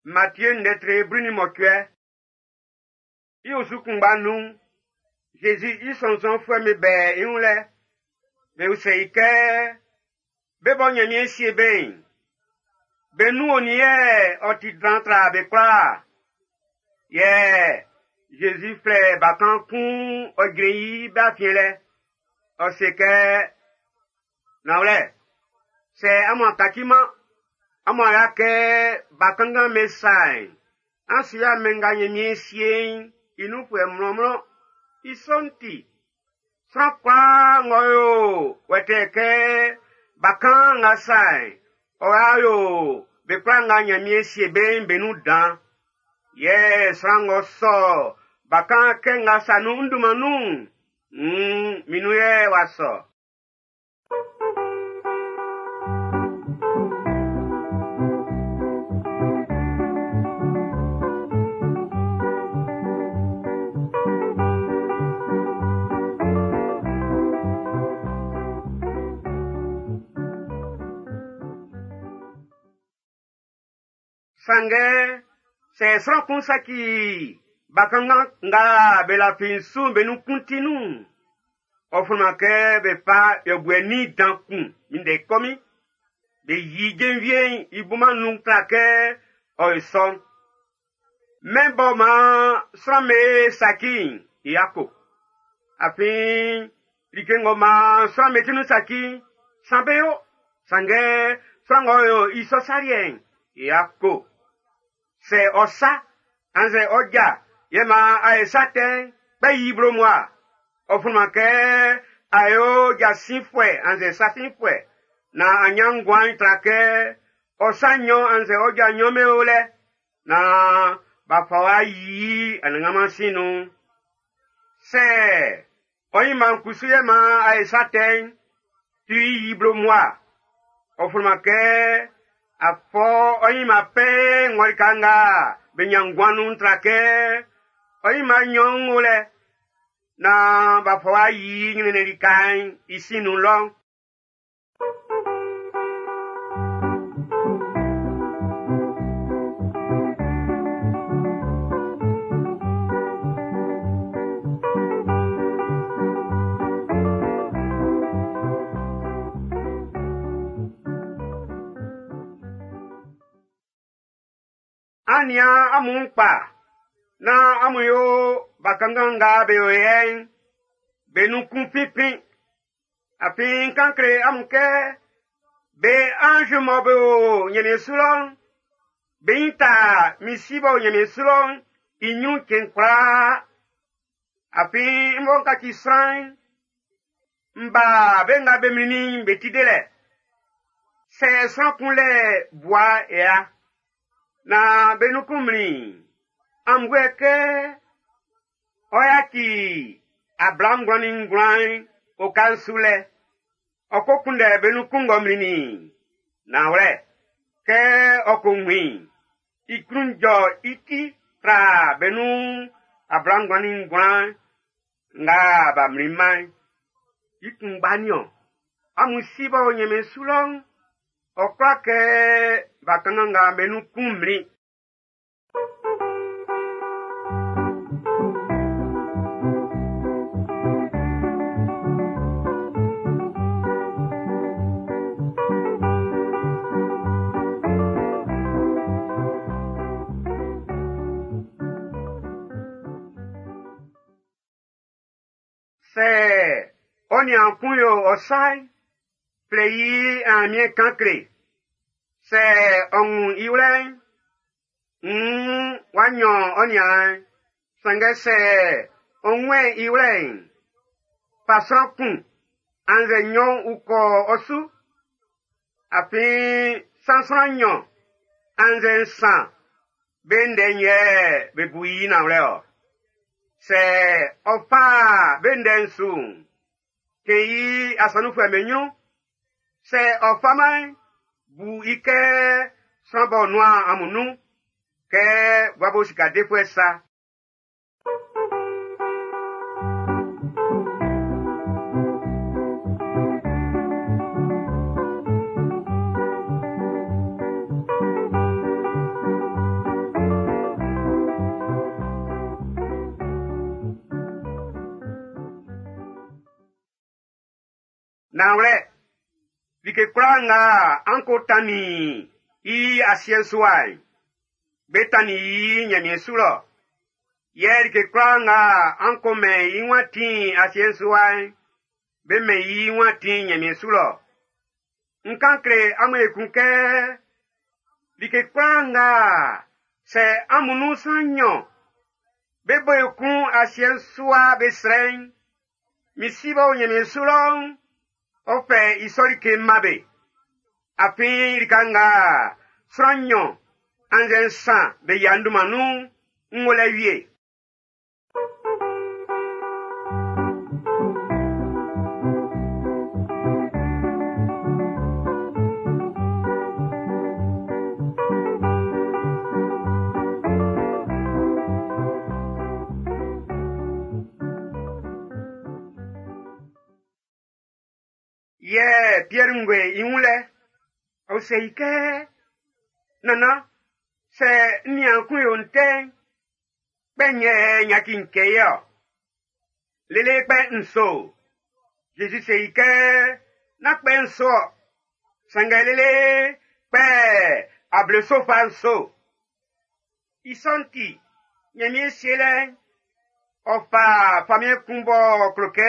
Matie ndɛtre 18. I osu kunngba nun'n, Zezi i sɔnnzɔnfuɛ'm be bɛ i wun lɛ. Be usɛ i kɛ, be bɔ Ɲanmiɛn sie be'n, be nun onin yɛ ɔ ti dan tra be kwlaa? Yɛ Zezi flɛ bakan kun ɔ jrɛn i be afiɛn lɛ. Ɔ se kɛ, nanwlɛ, sɛ amun a kaciman, amun a ya kɛ bakanngan be sa'n, an su ya mɛn nga Ɲanmiɛn sie'n i nunfuɛ mlɔnmlɔn. I sɔ'n ti, sran kwlaa ng'ɔ yo wɛtɛɛ kɛ bakan nga sa'n, ɔ wa yo be kwlaa nga Ɲanmiɛn sie be'n be nun dan. Yɛ sran ng'ɔ sɔ bakan kɛ nga sa nun n dunman nun'n, nn min nun yɛ w'a sɔ. Sanngɛ sɛ sran kun saci bakanngan nga be lafi n su'n be nun kun ti nun'n, ɔ fataman kɛ be fa yɔbuɛ nin dan kun minndɛ kɔmin. Be yi jenvie'n i bunman'n nun tra kɛ ɔ yo sɔ'n. Mɛn bɔ maan sran'm be saci'n, i yako. Afin like ng'ɔ maan sran'm be ti nun saci'n, san be yo. Sanngɛ sran ng'ɔ yo i sɔ sa liɛ'n, i yako. Sɛ ɔ sa, annzɛ ɔ ja, yɛ maan a ye sa tɛ'n, kpɛ yi blo mua. Ɔ fataman kɛ a yo jasinfuɛ annzɛ sasinfuɛ naan a ɲan nguan tra kɛ ɔ sa nɲɔn annzɛ ɔ ja nɲɔn be o lɛ naan b'a fa wa yi anannganman sin nun. Sɛ ɔ ɲinma'n kusu yɛ maan a ye sa tɛ'n, tu i yi blo mua. Ɔ fataman kɛ a fɔ ɔ ɲinma pɛɛ ngɔ lika nga be ɲan nguan nun tra kɛ ɔ ɲinma nɲɔn o lɛ naan b'a fa wa yi ɲrɛnnɛn lika'n i sin nun lɔ. An nian amun kpa nán amun yo bakanngan nga be o yɛ'n, be nun kun finfin. Afin n kan kle amun kɛ be anz mɔ be o Ɲanmiɛn su lɔ'n, be ɲin ta min Si b'ɔ o Ɲanmiɛn su lɔ'n i ɲrun cɛn kwlaa. Afin n bɔ n kaci sran'n, n ba be nga be mlinnin'n be ti delɛ. Sɛ sran kun lɛ bua ya, naan be nun kun mlin'n, an bu i kɛ ɔ yaci 99 oka'n su lɛ, ɔ ko kunndɛ be nun kun ng'ɔ mlinnin'n. Nanwlɛ, kɛ ɔ ko wun i'n, i klun jɔ i ti tra be nun 99 nga b'a mlinman'n. I kunngba niɔn, amun Si b'ɔ o Ɲanmiɛn su lɔ'n, ɔ kwla kɛ bakanngan nga be nun kun mlin. Sɛ ɔ niaan kun yo ɔ sa'n, flɛ i aamiɛn kan kle. Sɛ ɔ wun i wlɛ'n, nn w'a ɲan ɔ niaan'n. Sanngɛ sɛ ɔ wunmɛn i wlɛ'n, fa sran kun annzɛ nɲɔn ukɔ ɔ su. Afin san sran nɲɔn annzɛ nsan be ndɛ'n yɛ be bu i nanwlɛ ɔ. Sɛ ɔ fa be ndɛ'n su'n, kɛn i asɔnunfuɛ'm be ɲrun. Sɛ ɔ faman'n, bu i kɛ sran b'ɔ nuan amun nun kɛ gua bo sika defuɛ sa. Nanwlɛ, like kwlaa nga an ko tannin i asiɛ'n su wa'n, be tannin i Ɲanmiɛn su lɔ. Yɛ like kwlaa nga an ko mɛn i wun atin asiɛ'n su wa'n, be mɛn i wun atin Ɲanmiɛn su lɔ. N kan kle amun ekun kɛ like kwlaa nga sɛ amun nun sran nɲɔn be bo ekun asiɛ'n su wa be srɛ'n, min Si b'ɔ o Ɲanmiɛn su lɔ'n, ɔ fɛ i sɔ like man be. Afin lika nga sran nɲɔn annzɛ nsan be yia n dunman nun'n, n wo lɛ wie. Yɛ Piɛr ngue i wun lɛ, ɔ se i kɛ, Nannan, sɛ n niaan kun yo n tɛ'n, kpɛ nɲɛ n yaci n cɛ i ɔ? Lele kpɛ nso. Zezi se i kɛ, nán kpɛ nso ɔ, sanngɛ lele kpɛ ableso fa nso. I sɔ'n ti, Ɲanmiɛn sielɛ'n, ɔ fa famiɛn kun b'ɔ klo kɛ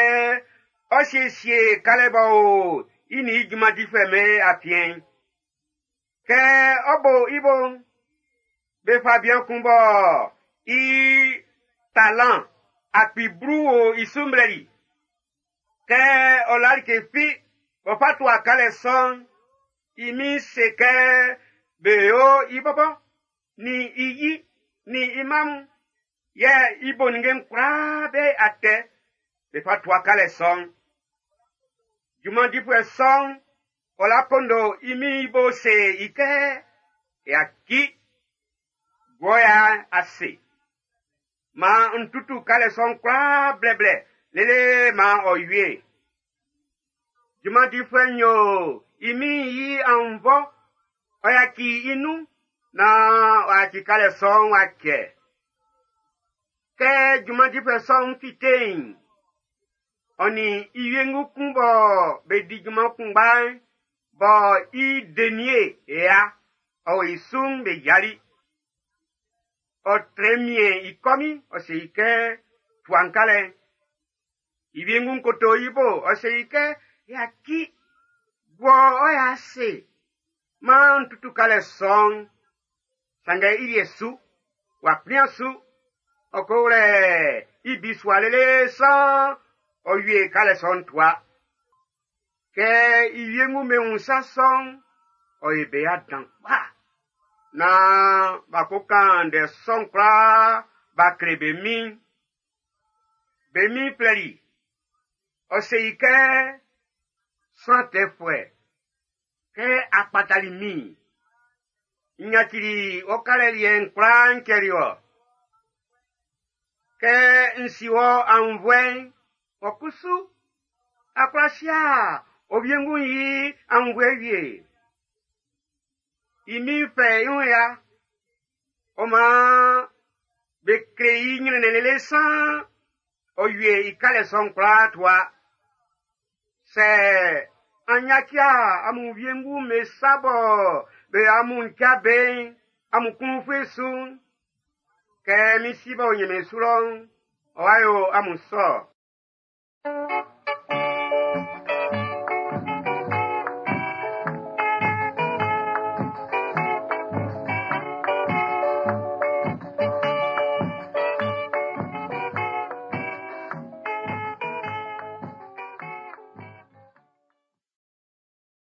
ɔ siesie kalɛ b'ɔ o i nin i junman difuɛ'm be afiɛn'n. Kɛ ɔ bo i bo'n, be fa bian kun bɔ i talan 10,000 o i su mlɛli. Kɛ ɔ la like fi b'ɔ fa tua kalɛ sɔ'n, i min'n se kɛ be yo i bɔbɔ, nin i yi, nin i mma mun, yɛ i bo ninnge'n kwlaa be atɛ be fa tua kalɛ sɔ'n. Junman difuɛ sɔ'n, ɔ la kondo i min'n i bo se i kɛ, yaci, gua ya ase. Maan n tutu kalɛ sɔ'n kwlaa blɛblɛ lele maan ɔ wie. Junman difuɛ'n yo i min'n i annvɔ, ɔ yaci i nun naan ɔ yaci kalɛ sɔ'n w'a cɛ. Kɛ junman difuɛ sɔ'n fite'n, ɔ nin i wiengu kun bɔ be di junman kunngba'n, bɔ i denie ya, ɔ o i su'n be yali. Ɔ trɛ miɛn i kɔmin, ɔ se i kɛ, tua n kalɛ'n. I wiengu'n koto i bo, ɔ se i kɛ, yaci, gua ɔ ya ase, maan n tutu kalɛ sɔ'n. Sanngɛ i liɛ su, w'a kplian su, ɔ ko wlɛ i bisua lele san ɔ wie kalɛ sɔ'n tua. Kɛ i wiengu be wun sa sɔ'n, ɔ ye be ya dan kpa. Naan b'a ko kan ndɛ sɔ'n kwlaa b'a kle be min'n. Be min'n flɛli, ɔ se i kɛ, sran tɛfuɛ, kɛ a kpatali min, n yacili ɔ kalɛ liɛ'n kwlaa n cɛli ɔ. Kɛ n si wɔ aunnvuɛ'n, ɔ kusu, a kwla sia ɔ wiengu'n i aunnvuɛ wie. I min'n fɛ i wun ya, ɔ maan be kle i ɲrɛnnɛn lele san ɔ wie i kalɛ sɔ'n kwlaa tua. Sɛ an yaci amun wiengu'm be sa bɔ be amun ja be'n, amun klun ufue su'n, kɛ min Si b'ɔ o Ɲanmiɛn su lɔ'n, ɔ wa yo amun sɔ.